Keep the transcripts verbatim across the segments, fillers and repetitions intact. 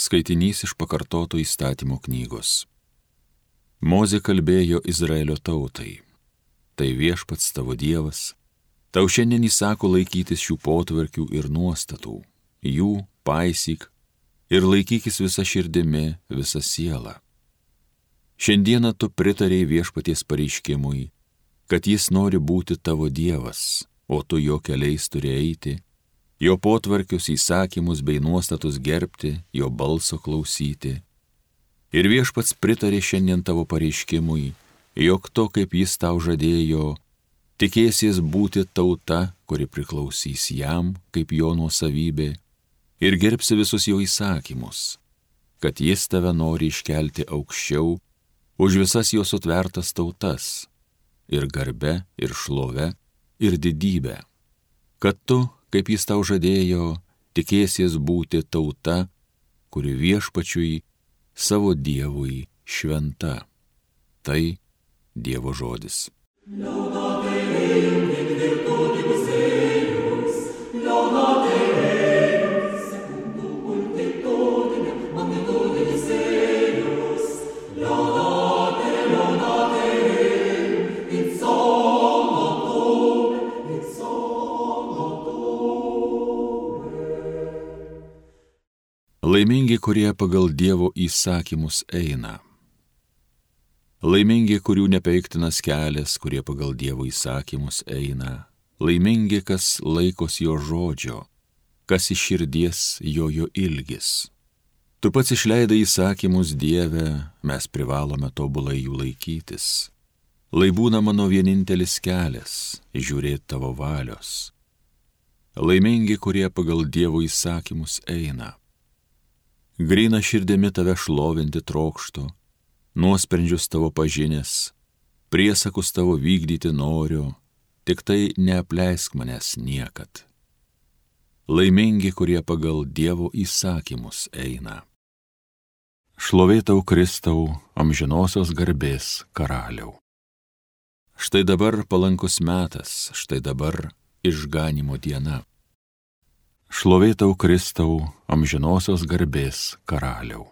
Skaitinys iš pakartoto įstatymo knygos. Mozė kalbėjo Izraelio tautai. Tai Viešpats tavo Dievas. Tau šiandien įsako laikytis šių potvarkių ir nuostatų. Jų paisyk ir laikykis visa širdimi, visa siela. Šiandieną tu pritarėjai Viešpaties pareiškimui, kad jis nori būti tavo Dievas, o tu jo keliais turi eiti, jo potvarkius, įsakymus bei nuostatus gerbti, jo balso klausyti. Ir Viešpats pritarė šiandien tavo pareiškimui, jog to, kaip jis tau žadėjo, tikėsies būti tauta, kuri priklausys jam, kaip jo nuosavybė, ir gerbsi visus jo įsakymus, kad jis tave nori iškelti aukščiau už visas jo sutvertas tautas, ir garbe, ir šlove, ir didybę, kad tu, kaip jis tau žadėjo, tikėsies būti tauta, kuri Viešpačiui, savo Dievui šventa. Tai Dievo žodis. Laimingi, kurie pagal Dievo įsakymus eina. Laimingi, kurių nepeiktinas kelias, kurie pagal Dievo įsakymus eina. Laimingi, kas laikos jo žodžio, kas iš širdies jojo ilgis. Tu pats išleidai įsakymus, Dieve, mes privalome tobulai jų laikytis. Lai būna mano vienintelis kelias, žiūrėti tavo valios. Laimingi, kurie pagal Dievo įsakymus eina. Gryna širdimi tave šlovinti trokštu, nuosprendžius tavo pažinęs, priesakus tavo vykdyti noriu, tik tai neapleisk manęs niekad. Laimingi, kurie pagal Dievo įsakymus eina. Šlovė tau, Kristau, amžinosios garbės karaliau. Štai dabar palankus metas, štai dabar išganymo diena. Šlovė tau, Kristau, amžinosios garbės karaliau.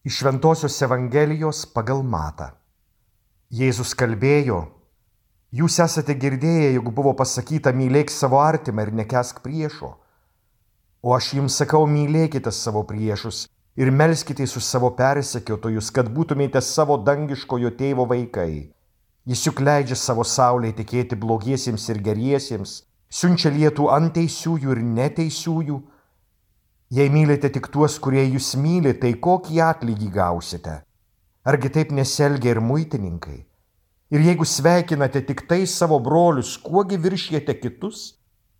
Iš Šventosios Evangelijos pagal Matą. Jėzus kalbėjo, jūs esate girdėję, jog buvo pasakyta, mylėk savo artimą ir nekęsk priešo. O aš jums sakau, mylėkite savo priešus ir melskitės už savo persekiotojus, kad būtumėte savo dangiškojo tėvo vaikai. Jis juk leidžia savo saulei tekėti blogiesiems ir geriesiems, siunčia lietų ant teisiųjų ir neteisiųjų. Jei mylite tik tuos, kurie jūs myli, tai kokį atlygį gausite? Argi taip nesielgia ir muitininkai? Ir jeigu sveikinate tik tai savo brolius, kuogi viršijate kitus?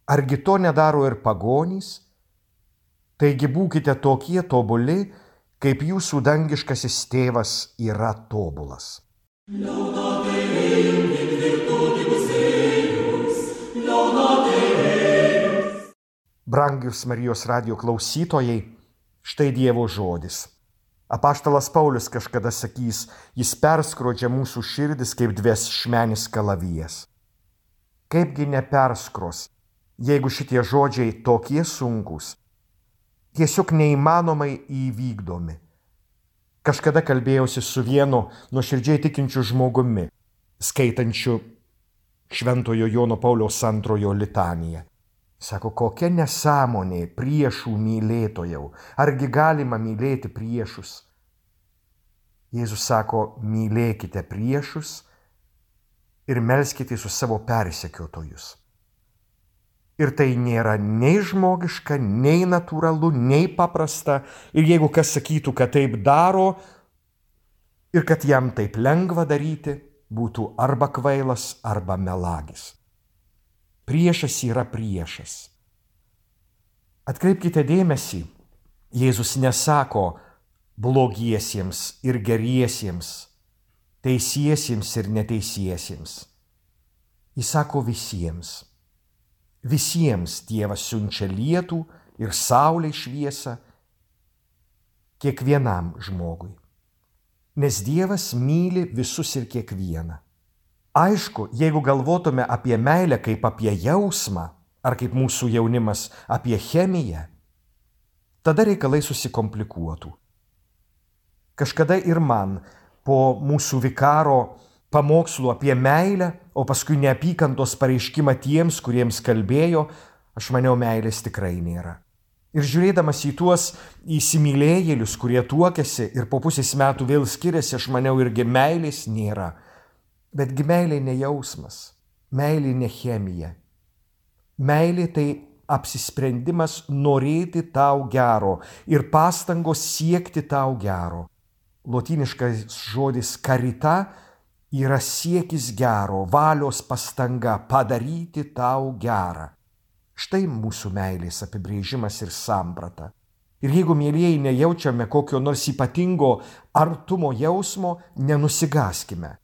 Argi to nedaro ir pagonys? Taigi būkite tokie tobuli, kaip jūsų dangiškasis tėvas yra tobulas. Brangius Marijos radijo klausytojai, štai Dievo žodis. Apaštalas Paulius kažkada sakys, jis perskrodžia mūsų širdis kaip dviašmenis kalavijas. Kaipgi neperskros, jeigu šitie žodžiai tokie sunkūs, tiesiog neįmanomai įvykdomi. Kažkada kalbėjausi su vienu nuoširdžiai tikinčiu žmogumi, skaitančiu Šventojo Jono Pauliaus antrojo litaniją. Sako, kokia nesąmonė priešų mylėtojau, argi galima mylėti priešus? Jėzus sako, mylėkite priešus ir melskite su savo persekiotojus. Ir tai nėra nei žmogiška, nei natūralu, nei paprasta. Ir jeigu kas sakytų, kad taip daro ir kad jam taip lengva daryti, būtų arba kvailas, arba melagis. Priešas yra priešas. Atkreipkite dėmesį, Jėzus nesako blogiesiems ir geriesiems, teisiesiems ir neteisiesiems. Jis sako visiems. Visiems Dievas siunčia lietų ir saulei šviesą, kiekvienam žmogui. Nes Dievas myli visus ir kiekvieną. Aišku, jeigu galvotume apie meilę kaip apie jausmą, ar kaip mūsų jaunimas apie chemiją, tada reikalai susikomplikuotų. Kažkada ir man po mūsų vikaro pamokslų apie meilę, o paskui neapykantos pareiškimą tiems, kuriems kalbėjo, aš maniau, meilės tikrai nėra. Ir žiūrėdamas į tuos įsimylėjėlius, kurie tuokėsi ir po pusės metų vėl skiriasi, aš maniau, irgi meilės nėra. Betgi meilė ne jausmas, meilė ne chemija. Meilė tai apsisprendimas norėti tau gero ir pastangos siekti tau gero. Lotyniškas žodis karita yra siekis gero, valios pastanga padaryti tau gerą. Štai mūsų meilės apibrėžimas ir samprata. Ir jeigu, mielieji, nejaučiame kokio nors ypatingo artumo jausmo, nenusigaskime.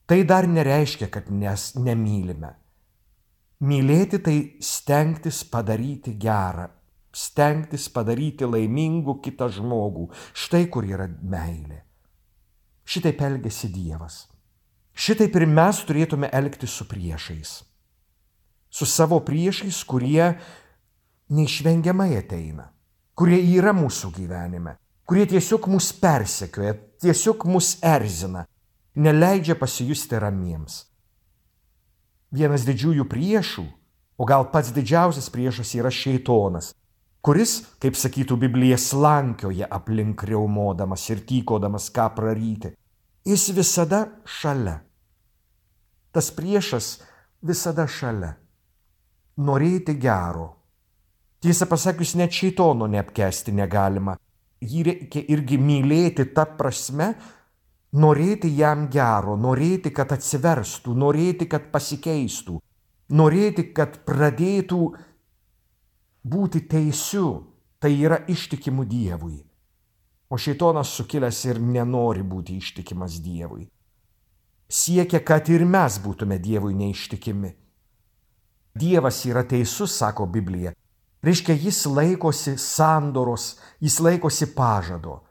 Tai dar nereiškia, kad nes nemylime. Mylėti tai stengtis padaryti gerą, stengtis padaryti laimingų kitą žmogų. Štai kur yra meilė. Šitaip elgiasi Dievas. Šitaip ir mes turėtume elgtis su priešais. Su savo priešais, kurie neišvengiamai ateina, kurie yra mūsų gyvenime, kurie tiesiog mus persekioja, tiesiog mus erzina, neleidžia pasijusti ramiems. Vienas didžiųjų priešų, o gal pats didžiausias priešas yra šėtonas, kuris, kaip sakytų Biblija, slankioja aplink riaumodamas ir tykodamas ką praryti. Jis visada šalia. Tas priešas visada šalia. Norėti gero. Tiesą pasakius, net šėtono neapkęsti negalima. Jį reikia irgi mylėti ta prasme, norėti jam gero, norėti, kad atsiverstų, norėti, kad pasikeistų, norėti, kad pradėtų būti teisiu, tai yra ištikimu Dievui. O šėtonas sukilęs ir nenori būti ištikimas Dievui. Siekia, kad ir mes būtume Dievui neištikimi. Dievas yra teisus, sako Biblija. Reiškia, jis laikosi sandoros, jis laikosi pažado.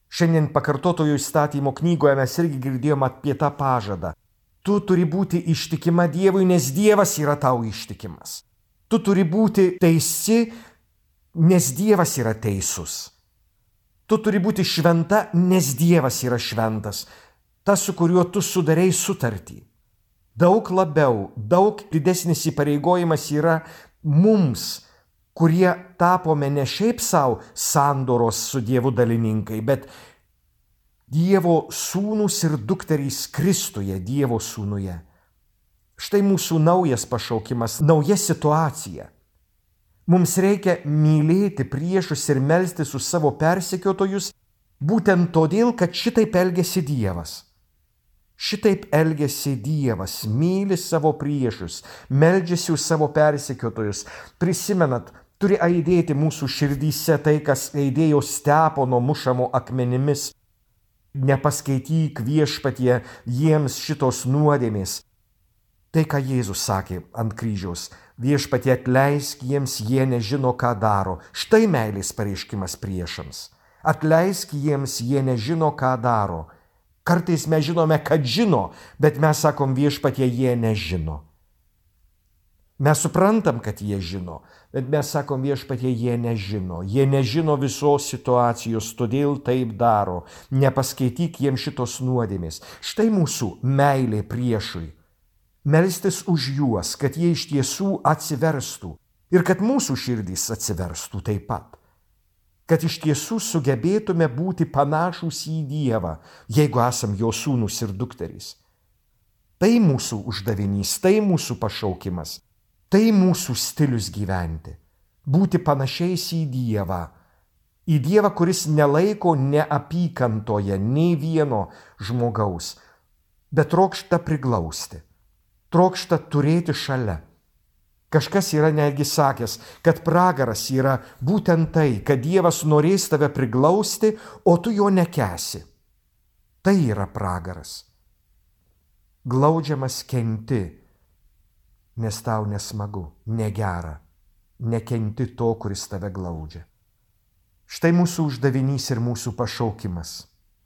Šiandien pakartotojo įstatymo knygoje mes irgi girdėjome apie tą pažadą. Tu turi būti ištikima Dievui, nes Dievas yra tau ištikimas. Tu turi būti teisi, nes Dievas yra teisus. Tu turi būti šventa, nes Dievas yra šventas. Tas, su kuriuo tu sudarei sutartį. Daug labiau, daug didesnis įpareigojimas yra mums, kurie tapome ne šiaip savo sandoros su Dievu dalininkai, bet Dievo sūnus ir dukterys Kristuje, Dievo sūnuje. Štai mūsų naujas pašaukimas, nauja situacija. Mums reikia mylėti priešus ir melstis už savo persekiotojus, būtent todėl, kad šitaip elgiasi Dievas. Šitaip elgiasi Dievas, myli savo priešus, meldžiasi už savo persekiotojus. Prisimenat, turi aidėti mūsų širdyse tai, kas aidėjo Stepono mušamo akmenimis. Nepaskaityk viešpatie jiems šitos nuodėmės. Tai, ką Jėzus sakė ant kryžiaus, viešpatie atleisk jiems, jie nežino, ką daro. Štai meilės pareiškimas priešams. Atleisk jiems, jie nežino, ką daro. Kartais mes žinome, kad žino, bet mes sakom viešpatie, jie nežino. Mes suprantam, kad jie žino, bet mes sakom viešpatie, jie nežino. Jie nežino visos situacijos, todėl taip daro. Nepaskaityk jiems šitos nuodėmės. Štai mūsų meilė priešui. Melstis už juos, kad jie iš tiesų atsiverstų ir kad mūsų širdys atsiverstų taip pat. Kad iš tiesų sugebėtume būti panašūs į Dievą, jeigu esam jo sūnus ir dukterys. Tai mūsų uždavinys, tai mūsų pašaukimas, tai mūsų stilius gyventi. Būti panašiais į Dievą. Į Dievą, kuris nelaiko neapykantoje nei vieno žmogaus, bet trokšta priglausti, trokšta turėti šalia. Kažkas yra netgi sakęs, kad pragaras yra būtent tai, kad Dievas norės tave priglausti, o tu jo nekesi. Tai yra pragaras. Glaudžiamas kenti, nes tau nesmagu, negera, nekenti to, kuris tave glaudžia. Štai mūsų uždavinys ir mūsų pašaukimas.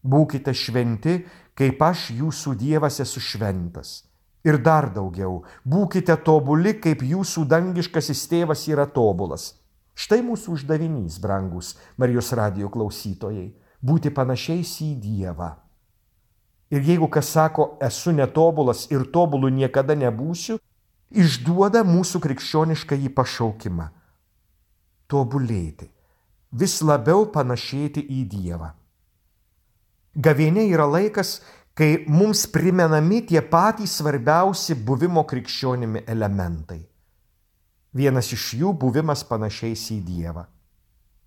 Būkite šventi, kaip aš jūsų Dievas esu šventas. Ir dar daugiau, būkite tobuli, kaip jūsų dangiškasis tėvas yra tobulas. Štai mūsų uždavinys, brangus Marijos radijo klausytojai, būti panašiais į Dievą. Ir jeigu kas sako, esu netobulas ir tobulu niekada nebūsiu, išduoda mūsų krikščionišką į pašaukimą. Tobulėti, vis labiau panašėti į Dievą. Gavėnia yra laikas, kai mums primenami tie patys svarbiausi buvimo krikščionimi elementai. Vienas iš jų buvimas panašiais į Dievą.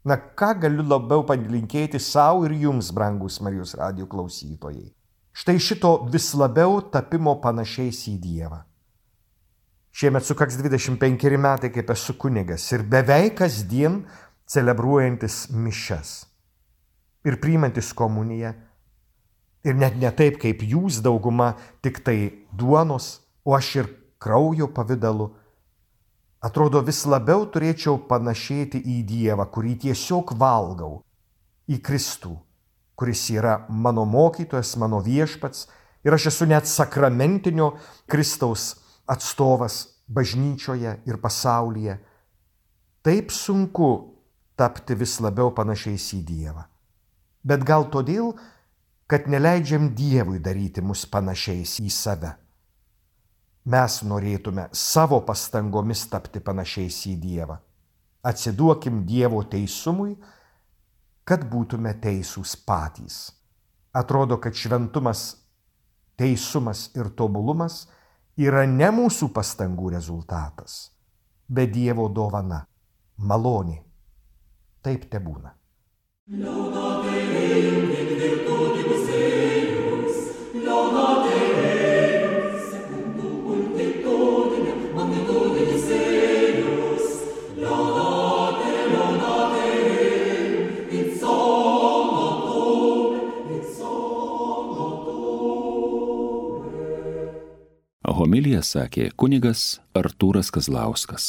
Na, ką galiu labiau palinkėti savo ir jums, brangus Marijos radijo klausytojai. Štai šito vis labiau tapimo panašiais į Dievą. Šiemet sukaks dvidešimt penkeri metai, kaip esu kunigas ir beveik kasdien celebruojantis mišias ir priimantis komuniją. Ir net ne taip, kaip jūs dauguma, tik tai duonos, o aš ir kraujo pavidalu. Atrodo, vis labiau turėčiau panašėti į Dievą, kurį tiesiog valgau, į Kristų, kuris yra mano mokytojas, mano viešpats, ir aš esu net sakramentinio Kristaus atstovas bažnyčioje ir pasaulyje. Taip sunku tapti vis labiau panašiais į Dievą. Bet gal todėl, kad neleidžiam Dievui daryti mus panašiais į save. Mes norėtume savo pastangomis tapti panašiais į Dievą. Atsiduokim Dievo teisumui, kad būtume teisūs patys. Atrodo, kad šventumas, teisumas ir tobulumas yra ne mūsų pastangų rezultatas, bet Dievo dovana, malonė. Taip tebūna. Homiliją sakė kunigas Artūras Kazlauskas.